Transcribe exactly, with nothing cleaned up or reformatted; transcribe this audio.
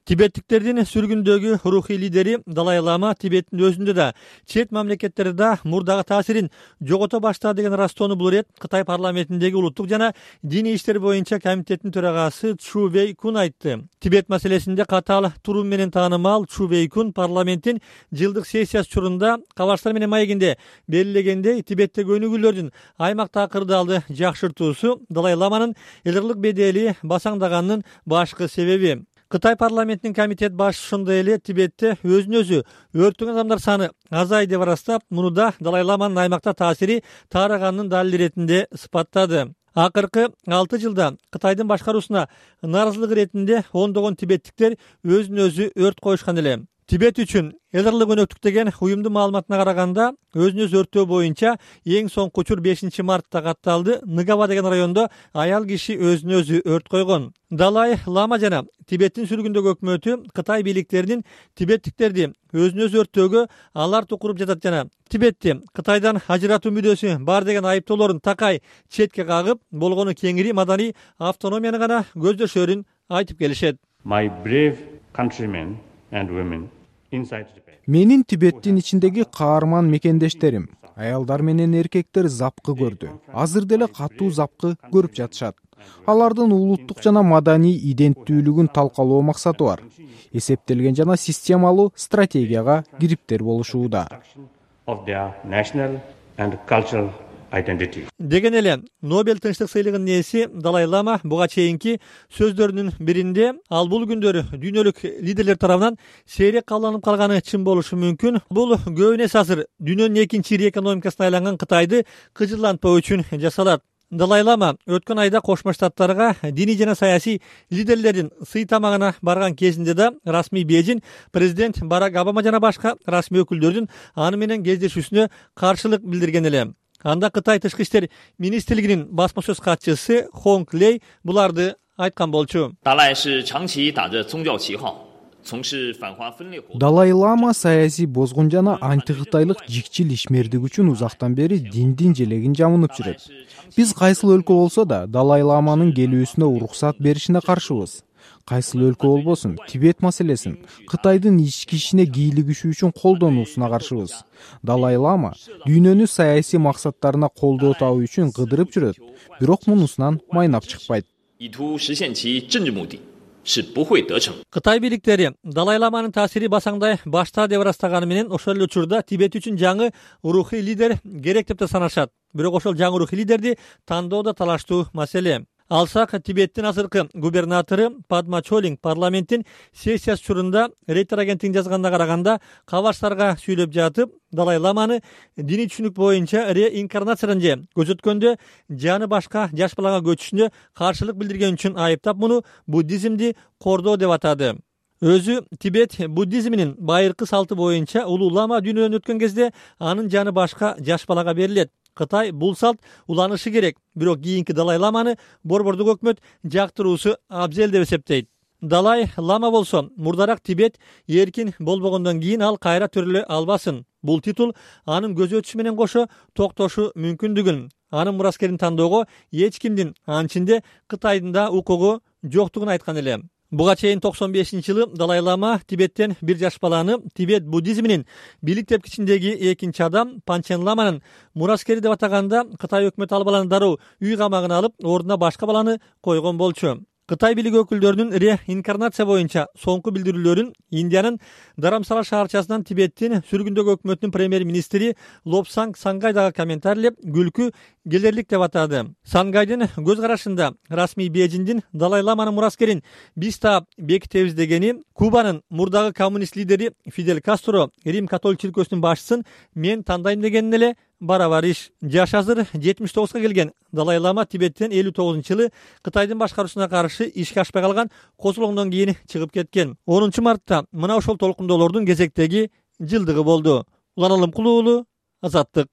Тибеттиктердин сүргүндөгү рухий лидери Далай Лама Тибеттин өзүндө да, чет мамлекеттерде да мурдагы таасирин жогото баштады деген ырастоону бул ирет Кытай парламентиндеги улуттук жана диний иштер боюнча комитеттин төрагасы Чу Вей Кун айтты. Тибет маселесинде катаал туруу менен таанымал Чу Вей Кун парламенттин жылдык сессиясы учурунда кабарчылар менен маегинде белгилегендей, Тибеттеги өнүгүүлөрдүн аймактагы кырдаалды жакшыртуусу Далай Ламанын элдирлик бедели басаңдаганынын башкы себеби. Кытай парламентинин комитет башчысы ошондой эле Тибетте өзүн өзү өрттөгөн адамдар саны азайды деп ырастап, муну да Далай Ламанын аймакта таасири таарыганынын далили иретинде сыпаттады. Акыркы алты жылда Кытайдын башкаруусуна нааразылык иретинде ондогон тибеттиктер өзүн өзү өрт коюшкан эле. Тибет үчүн элдирлик өнөктүк деген уюмдун маалыматына караганда, өзүн өзү өрттөө боюнча эң соңку учур бешинчи мартта катталды. Нгава деген райондо аял киши өзүн өзү өрт койгон. Далай Лама жана Тибеттин сүргүндөгү өкмөтү Кытай бийликтеринин тибеттиктерди өзүн өзү өрттөөгө аларт куруп жатат жана Тибетти Кытайдан ажыратуу мүдөөсү бар деген айыптоолорун такай четке кагып, болгону кеңири маданий автономияны гана көздөшөрүн айтып келишет. My brave countrymen and women. Менин Тибеттин ичиндеги каарман мекендештерим, аялдар менен эркектер запкы көрдү. Азыр деле катуу запкы көрүп жатышат. Алардын улуттук жана маданий иденттүүлүгүн талкалоо максаты бар. Эсептелген жана системалуу стратегияга кириптер болушууда. Деген эле Нобель тынчтык сыйлыгынын ээси Далай Лама буга чейинки сөздөрүнүн биринде ал бул күндөрү дүйнөлүк лидерлер тарабынан сейрек кабылданып калганы чын болушу мүмкүн. Бул көбүнө азыр дүйнөнүн экинчи ири экономикасына айланган Кытайды кыжырлантпоо үчүн жасалат. Далай Лама өткөн айда Кошмо Штаттарга диний жана саясий лидерлердин сый тамагына барган кезинде да расмий бежин президент Барак Обама жана башка расмий өкүлдөрдүн аны менен кездешүүсүнө каршылык билдирген эле. Анда Кытай тышкы иштер министрлигинин басма сөз катчысы Хонг Лей буларды айткан болчу. Далай Лама саясий бозгун жана антикытайлык жикчил ишмердик үчүн узактан бери диндин желегин жамынып жүрөт. Биз кайсыл өлкө болсо да Далай Ламанын келүүсүнө уруксат беришине каршыбыз. Кайсыл өлкө болбосун, Тибет маселесин Кытайдын ички ишине кийлигишүү үчүн колдонуусуна каршыбыз. Далай Лама дүйнөнү саясий максаттарына колдоо табуу үчүн кыдырып жүрөт, бирок мунусунан майнап чыкпайт. Кытай бийликтери Далай Ламанын таасири басаңдай башта деп ырастаганы менен ошол эле учурда Тибет үчүн жаңы рухий лидер керек деп да санашат. Бирок ошол жаңы рухий лидерди тандоо да талаштуу маселе. Алсак, Тибеттин азыркы губернатору Падма Чолинг парламенттин сессиясы учурунда Рейтер агенттигинин жазганына караганда, кабарчыларга сүйлөп жатып, Далай Ламаны диний түшүнүк боюнча реинкарнациядан же көзөткөндө жаны башка жаш балага көчүшүнө каршылык билдирген үчүн айыптап, муну буддизмди кордоо деп атады. Өзү Тибет буддизминин байыркы салты боюнча улуу лама дүйнөдөн өткөн кезде анын жаны башка жаш балага берилет. Кытай бул салт уланышы керек, бирок кийинки Далай Ламаны борбордук өкмөт жактыруусу абзел деп эсептейт. Далай Лама болсо, мурдарак Тибет эркин болбогондон кийин ал кайра төрөлө албасын. Бул титул анын көзү өтүшү менен кошо токтошу мүмкүндүгүн, анын мураскерин тандоого эч кимдин, анын ичинде Кытайдын да укугу жоктугун айткан эле. Буга чейин токсон бешинчи жылы Далай Лама Тибеттен бир жаш баланы Тибет буддизминин бийлик тепкичиндеги экинчи адам Панчен Ламанын мураскери деп атаганда, Кытай өкмөтү ал баланы дароо үй камагына алып, ордуна башка баланы койгон болчу. Кытай бийлиги өкүлдөрүнүн реинкарнация боюнча соңку билдирүүлөрүн Индиянын Дарамсала шаарчасынан Тибеттин сүргүндөгү өкмөтүнүн премьер-министри Лобсанг Сангай дагы комментарийлеп, күлкү келерлик деп атады. Сангайдын көз карашында расмий Бейжиңдин Далай Ламанын мураскерин биз таап бекитебиз дегени, Кубанын мурдагы коммунист лидери Фидель Кастро Рим католик чиркөөсүнүн башчысын мен тандайм дегенин эле барабар иш. Жаш азыр жетимиш тогузга келген Далай Лама Тибеттен элүү тогузунчу жылы Кытайдын башкаруусуна каршы ишке ашпай калган козулоңдон кийин чыгып кеткен. онунчу мартта мына ошол толкундоолордун кезектеги жылдыгы болду. Улан Алымкулуу, Азаттык.